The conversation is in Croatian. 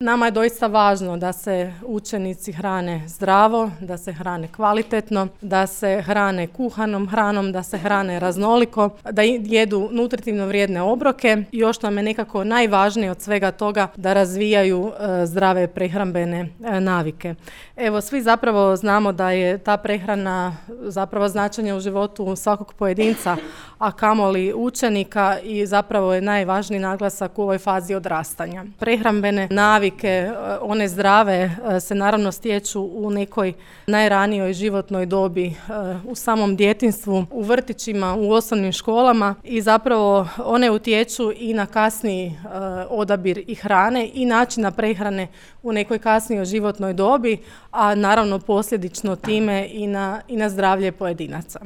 Nama je doista važno da se učenici hrane zdravo, da se hrane kvalitetno, da se hrane kuhanom hranom, da se hrane raznoliko, da jedu nutritivno vrijedne obroke i još nam je nekako najvažnije od svega toga da razvijaju zdrave prehrambene navike. Evo, svi zapravo znamo da je ta prehrana zapravo značenje u životu svakog pojedinca, a kamoli učenika, i zapravo je najvažniji naglasak u ovoj fazi odrastanja. Prehrambene navike, one zdrave, se naravno stječu u nekoj najranijoj životnoj dobi, u samom djetinjstvu, u vrtićima, u osnovnim školama, i zapravo one utječu i na kasniji odabir i hrane i načina prehrane u nekoj kasnijoj životnoj dobi, a naravno posljedično time i na zdravlje pojedinaca.